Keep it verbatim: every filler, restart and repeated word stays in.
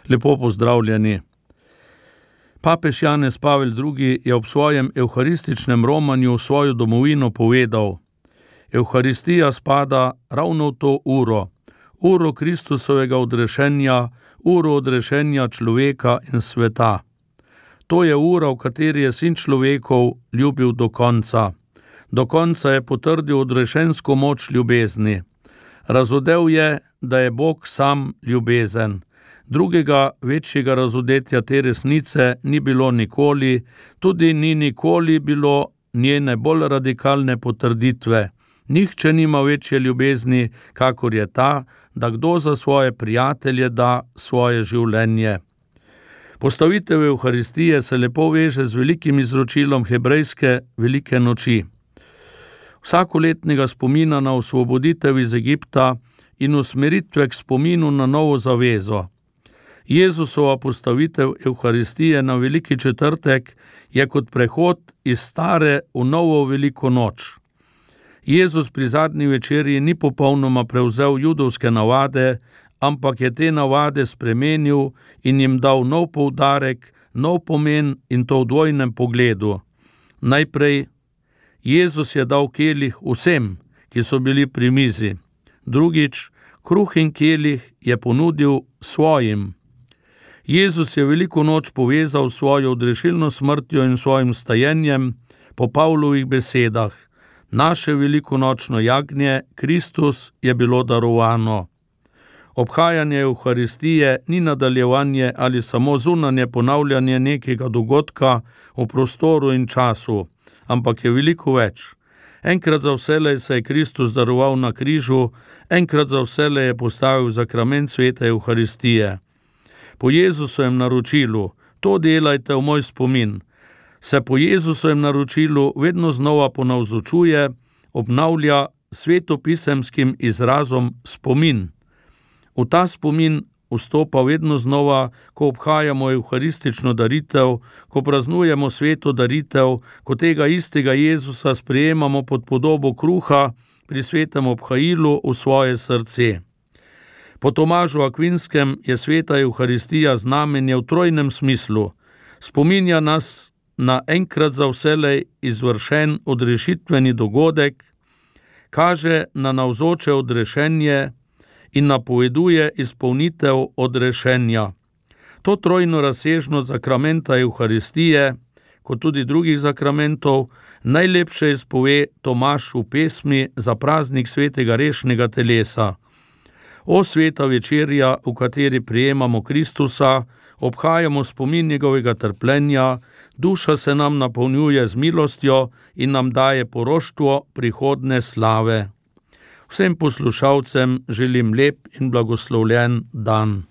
Lepo pozdravljeni. Papež Janez Pavel drugi. je ob svojem evharističnem romanju v svojo domovino povedal: Evharistija spada ravno v to uro, uro Kristusovega odrešenja, uro odrešenja človeka in sveta. To je ura, v kateri je sin človekov ljubil do konca. Do konca je potrdil odrešensko moč ljubezni. Razodel je, da je Bog sam ljubezen. Drugega večjega razodetja te resnice ni bilo nikoli, tudi ni nikoli bilo njene bolj radikalne potrditve. Nihče nima večje ljubezni, kakor je ta, da kdo za svoje prijatelje da svoje življenje. Postavitev Evharistije se lepo veže z velikim izročilom hebrejske velike noči. Vsakoletnega spomina na osvoboditev iz Egipta in usmeritve k spominu na novo zavezo. Jezusova postavitev Evharistije na veliki četrtek je kot prehod iz stare v novo veliko noč. Jezus pri zadnji večerji ni popolnoma prevzel judovske navade, ampak je te navade spremenil in jim dal nov poudarek, nov pomen in to v dvojnem pogledu. Najprej, Jezus je dal kelih vsem, ki so bili pri mizi. Drugič, kruh in kelih je ponudil svojim. Jezus je veliko noč povezal s svojo odrešilno smrtjo in svojim stajenjem po Pavlovih besedah. Naše velikonočno jagnje, Kristus, je bilo darovano. Obhajanje Evharistije ni nadaljevanje ali samo zunanje ponavljanje nekega dogodka v prostoru in času, ampak je veliko več. Enkrat za vselej se je Kristus daroval na križu, enkrat za vselej je postavil zakrament svete Evharistije. Po Jezusovem naročilu, to delajte v moj spomin, se po Jezusovem naročilu vedno znova ponavzočuje, obnavlja svetopisemskim izrazom spomin. V ta spomin vstopa vedno znova, ko obhajamo evharistično daritev, ko praznujemo sveto daritev, ko tega istega Jezusa sprejemamo pod podobo kruha pri svetem obhajilu v svoje srce. Po Tomažu Akvinskem je sveta Evharistija znamenje v trojnem smislu. Spominja nas na enkrat za vselej izvršen odrešitveni dogodek, kaže na navzoče odrešenje in napoveduje izpolnitev odrešenja. To trojno razsežnost zakramenta Evharistije, kot tudi drugih zakramentov, najlepše izpove Tomaž v pesmi za praznik svetega rešnega telesa. O sveta večerja, v kateri prijemamo Kristusa, obhajamo spomin njegovega trpljenja, duša se nam napolnjuje z milostjo in nam daje poroštvo prihodne slave. Vsem poslušalcem želim lep in blagoslovljen dan.